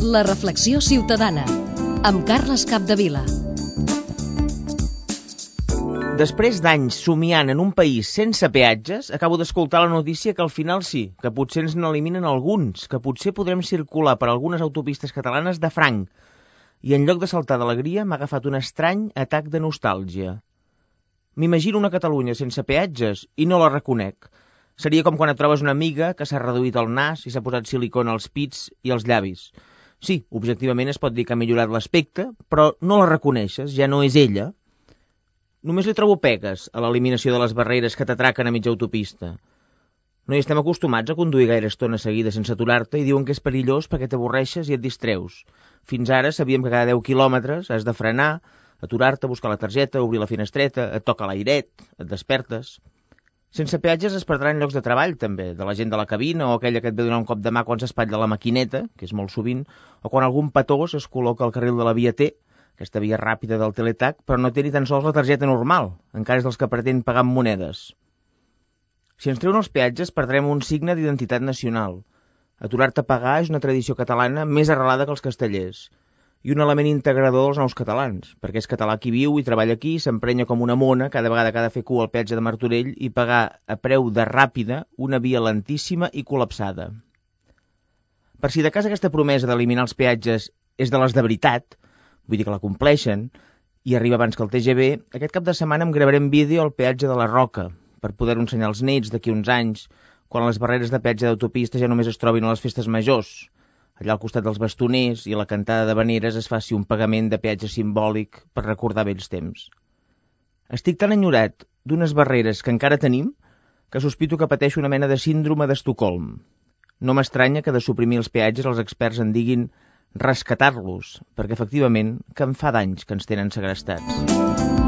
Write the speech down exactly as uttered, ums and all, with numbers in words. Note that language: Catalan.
La reflexió ciutadana, amb Carles Capdevila. Després d'anys somiant en un país sense peatges, acabo d'escoltar la notícia que al final sí, que potser ens n'eliminen alguns, que potser podrem circular per algunes autopistes catalanes de franc. I en lloc de saltar d'alegria m'ha agafat un estrany atac de nostàlgia. M'imagino una Catalunya sense peatges i no la reconec. Seria com quan et trobes una amiga que s'ha reduït el nas i s'ha posat silicona als pits i als llavis. Sí, objectivament es pot dir que ha millorat l'aspecte, però no la reconeixes, ja no és ella. Només li trobo pegues a l'eliminació de les barreres que t'atraquen a mitja autopista. No hi estem acostumats a conduir gaire estona seguida sense aturar-te i diuen que és perillós perquè t'avorreixes i et distreus. Fins ara sabíem que cada deu quilòmetres has de frenar, aturar-te, buscar la targeta, obrir la finestreta, et toca l'airet, et despertes. Sense peatges es perdran llocs de treball, també, de la gent de la cabina o aquella que et ve donar un cop de mà quan s'espatlla la maquineta, que és molt sovint, o quan algun petós es col·loca al carril de la via T, aquesta via ràpida del teletac, però no té ni tan sols la targeta normal, encara és dels que pretén pagar amb monedes. Si ens treuen els peatges, perdrem un signe d'identitat nacional. Aturar-te a pagar és una tradició catalana més arrelada que els castellers, i un element integrador dels nous catalans, perquè és català qui viu i treballa aquí, s'emprenya com una mona cada vegada que ha de fer cua al peatge de Martorell i pagar a preu de ràpida una via lentíssima i col·lapsada. Per si de cas aquesta promesa d'eliminar els peatges és de les de veritat, vull dir que la compleixen, i arriba abans que el T G V, aquest cap de setmana em gravarem vídeo al peatge de la Roca, per poder-ho ensenyar als nets d'aquí uns anys, quan les barreres de peatge d'autopista ja només es trobin a les festes majors, allà al costat dels bastoners i a la cantada d'havaneres es faci un pagament de peatge simbòlic per recordar vells temps. Estic tan enyorat d'unes barreres que encara tenim que sospito que pateixo una mena de síndrome d'Estocolm. No m'estranya que de suprimir els peatges els experts en diguin rescatar-los, perquè efectivament que en fa d'anys que ens tenen segrestats.